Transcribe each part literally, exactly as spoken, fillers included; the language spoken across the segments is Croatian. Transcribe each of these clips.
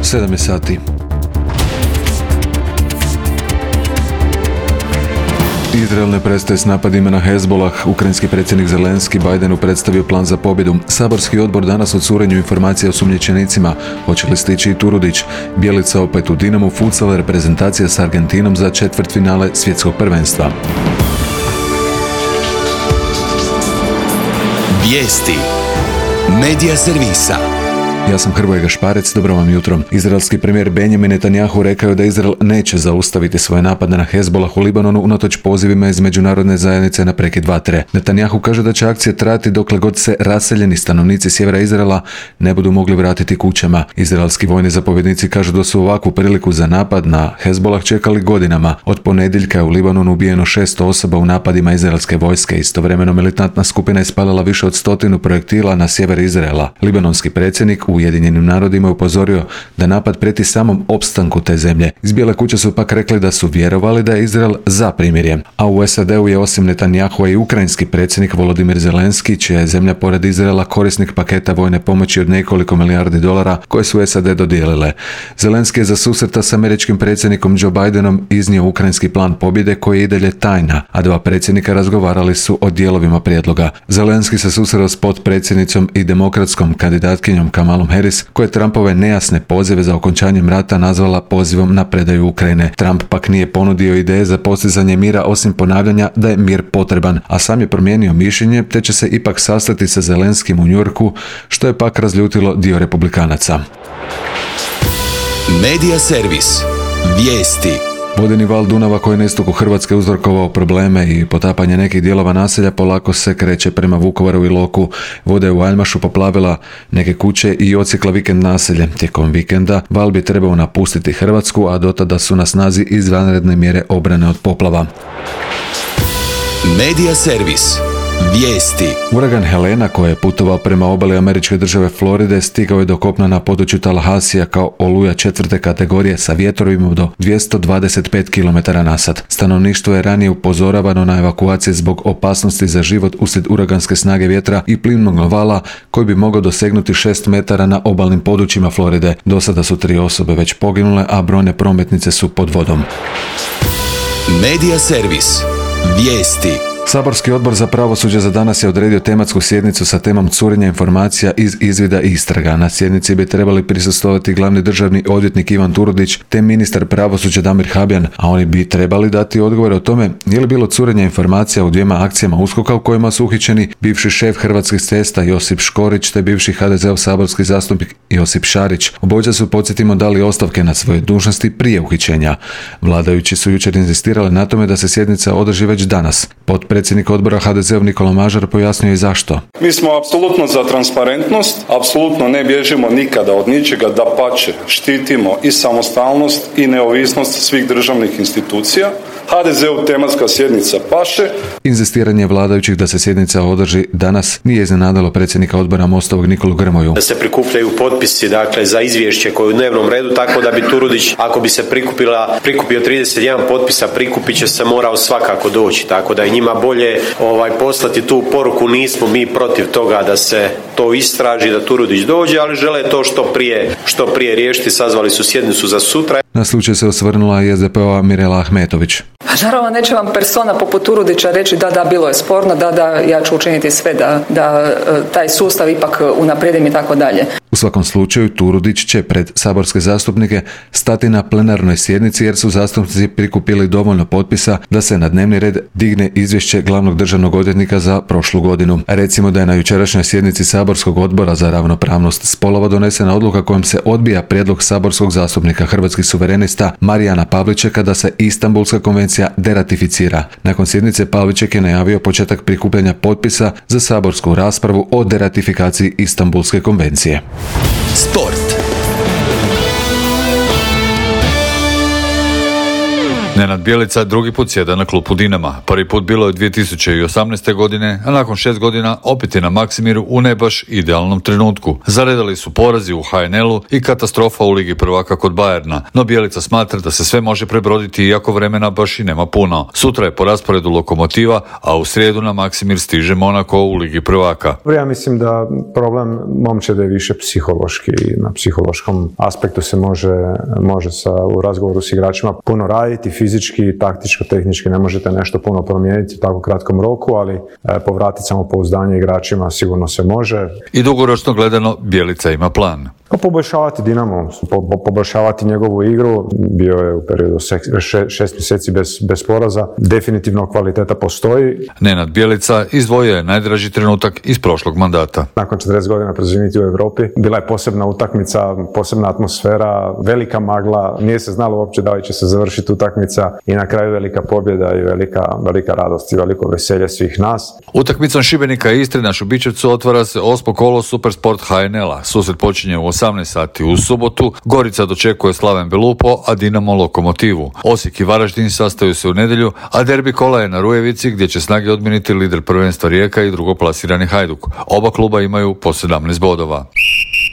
sedam je sati. Izrael ne prestaje s napadima na Hezbolah. Ukrajinski predsjednik Zelenski Bidenu predstavio plan za pobjedu. Saborski odbor danas o curenju informacija o sumnjičenicima. Hoće li stići i Turudić? Bjelica opet u Dinamu, futsal reprezentacija s Argentinom za četvrtfinale svjetskog prvenstva. Vijesti Medija servisa. Ja sam Hrvoje Gašparec, dobro vam jutro. Izraelski premijer Benjamin Netanjahu rekao je da Izrael neće zaustaviti svoje napade na Hezbolah u Libanonu unatoč pozivima iz međunarodne zajednice na prekid vatre. Netanjahu kaže da će akcija trajati dokle god se raseljeni stanovnici sjevera Izraela ne budu mogli vratiti kućama. Izraelski vojni zapovjednici kažu da su ovakvu priliku za napad na Hezbolah čekali godinama. Od ponedjeljka je u Libanonu ubijeno šesto osoba u napadima izraelske vojske. Istovremeno militantna skupina je ispalila više od stotinu projektila na sjever Izraela. Libanonski predsjednik u Ujedinjenim narodima je upozorio da napad prijeti samom opstanku te zemlje. Iz Bijele kuće su pak rekli da su vjerovali da je Izrael za primirje. A u S A D-u je osim Netanjahua i ukrajinski predsjednik Volodimir Zelenski, čija je zemlja pored Izraela korisnik paketa vojne pomoći od nekoliko milijardi dolara koje su S A D dodijelile. Zelenski je za susreta s američkim predsjednikom Joe Bidenom iznio ukrajinski plan pobjede koji je i dalje tajna, a dva predsjednika razgovarali su o dijelovima prijedloga. Zelenski se susreo s potpredsjednicom i demokratskom kandidatkinjom Kamalom Harris, koje Trumpove nejasne pozive za okončanjem rata nazvala pozivom na predaju Ukrajine. Trump pak nije ponudio ideje za postizanje mira osim ponavljanja da je mir potreban, a sam je promijenio mišljenje te će se ipak sastati sa Zelenskim u New Yorku, što je pak razljutilo dio republikanaca. Medija servis. Vijesti. Vodeni val Dunava koji je na istoku Hrvatske uzrokovao probleme i potapanje nekih dijelova naselja polako se kreće prema Vukovaru i Iloku. Voda je u Aljmašu poplavila neke kuće i odsjekla vikend naselje. Tijekom vikenda val bi trebao napustiti Hrvatsku, a do tada su na snazi izvanredne mjere obrane od poplava. Medija servis. Vijesti. Uragan Helena, koji je putovao prema obali američke države Floride, stigao je do kopna na području Tallahassija kao oluja četvrte kategorije sa vjetrovima do dvjesto dvadeset pet kilometara na sat. Stanovništvo je ranije upozoravano na evakuacije zbog opasnosti za život uslijed uraganske snage vjetra i plimnog vala koji bi mogao dosegnuti šest metara na obalnim područjima Floride. Do sada su tri osobe već poginule, a brojne prometnice su pod vodom. Medija servis. Vijesti. Saborski odbor za pravosuđe za danas je odredio tematsku sjednicu sa temom curenja informacija iz izvida i istraga. Na sjednici bi trebali prisustvovati glavni državni odvjetnik Ivan Turudić te ministar pravosuđa Damir Habijan, a oni bi trebali dati odgovore o tome je li bilo curenja informacija u dvijema akcijama USKOK-a u kojima su uhićeni bivši šef Hrvatskih cesta Josip Škorić te bivši H D Z-ov saborski zastupnik Josip Šarić. Obojica su, podsjetimo, dali ostavke na svoje dužnosti prije uhićenja. Vladajući su jučer inzistirali na tome da se sjednica održi već danas. Predsjednik odbora H D Z-ov Nikola Mažar pojasnio i zašto. Mi smo apsolutno za transparentnost, apsolutno ne bježimo nikada od ničega, dapače štitimo i samostalnost i neovisnost svih državnih institucija. H D Z-u tematska sjednica paše. Inzistiranje vladajućih da se sjednica održi danas nije iznenadilo predsjednika odbora Mostovog Nikolu Grmoju. Da se prikupljaju potpisi, dakle, za izvješće koje je u dnevnom redu, tako da bi Turudić, ako bi se prikupila, prikupio trideset jedan potpisa, prikupit će se morao svakako doći, tako da je njima bolje ovaj, poslati tu poruku, nismo mi protiv toga da se to istraži, da Turudić dođe, ali žele to što prije, što prije riješiti. Sazvali su sjednicu za sutra. Na slučaj se osvrnula i S D P-ova Mirela Ahmetović. Naravno, neće vam persona poput Turudića reći da, da, bilo je sporno, da, da, ja ću učiniti sve da, da taj sustav ipak unaprijedim i tako dalje. U svakom slučaju, Turudić će pred saborske zastupnike stati na plenarnoj sjednici jer su zastupnici prikupili dovoljno potpisa da se na dnevni red digne izvješće glavnog državnog odvjetnika za prošlu godinu. Recimo da je na jučerašnjoj sjednici saborskog odbora za ravnopravnost spolova donesena odluka kojom se odbija prijedlog saborskog zastupnika Hrvatskih suverenista Marijana Pavličeka da se Istanbulska konvencija deratificira. Nakon sjednice Pavliček je najavio početak prikupljanja potpisa za saborsku raspravu o deratifikaciji Istanbulske konvencije. Sport. Nenad Bjelica drugi put sjeda na klupu Dinama. Prvi put bilo je dvije tisuće osamnaeste. godine, a nakon šest godina opet je na Maksimiru u ne baš idealnom trenutku. Zaredali su porazi u ha en el-u i katastrofa u Ligi prvaka kod Bayerna, no Bjelica smatra da se sve može prebroditi iako vremena baš i nema puno. Sutra je po rasporedu Lokomotiva, a u srijedu na Maksimir stiže Monako u Ligi prvaka. Ja mislim da problem momčade je više psihološki. Na psihološkom aspektu se može, može sa, u razgovoru s igračima puno raditi, fizički, taktičko, tehnički ne možete nešto puno promijeniti u tako kratkom roku, ali e, povratiti samopouzdanje igračima sigurno se može. I dugoročno gledano Bjelica ima plan. Poboljšavati Dinamo, po, po, poboljšavati njegovu igru. Bio je u periodu še, šest mjeseci bez, bez poraza. Definitivno kvaliteta postoji. Nenad Bjelica izdvojio je najdraži trenutak iz prošlog mandata. Nakon četrdeset godina preživjeti u Europi, bila je posebna utakmica, posebna atmosfera, velika magla, nije se znalo uopće da li će se završiti utakmica i na kraju velika pobjeda i velika, velika radost i veliko veselje svih nas. Utakmicom Šibenika i Istre na Šubićevcu otvara se osmo kolo Supersport ha en el-a. Susret počinje u osamnaest sati u subotu, Gorica dočekuje Slaven Belupo, a Dinamo Lokomotivu. Osijek i Varaždin sastaju se u nedjelju, a derbi kola je na Rujevici gdje će snage odmijeniti lider prvenstva Rijeka i drugoplasirani Hajduk. Oba kluba imaju po sedamnaest bodova.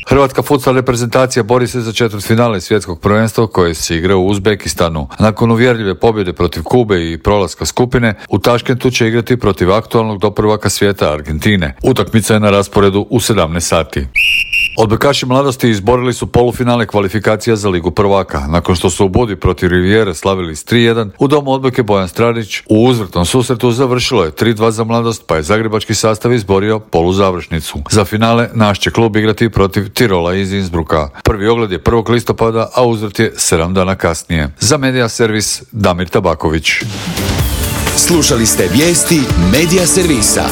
Hrvatska futsal reprezentacija bori se za četvrtfinale svjetskog prvenstva koje se igra u Uzbekistanu. Nakon uvjerljive pobjede protiv Kube i prolaska skupine, u Taškentu će igrati protiv aktualnog doprvaka svijeta Argentine. Utakmica je na rasporedu u sedamnaest sati. Odbojkaši mladosti izborili su polufinale kvalifikacija za Ligu prvaka. Nakon što su u Budi protiv Rivijere slavili s tri jedan, u domu odbojke Bojan Stradić u uzvratnom susretu završilo je tri dva za mladost, pa je zagrebački sastav izborio poluzavršnicu. Za finale naš će klub igrati protiv Tirola iz Innsbrucka. Prvi ogled je prvog listopada, a uzvrat je sedam dana kasnije. Za Media Servis Damir Tabaković. Slušali ste vijesti Media Servisa.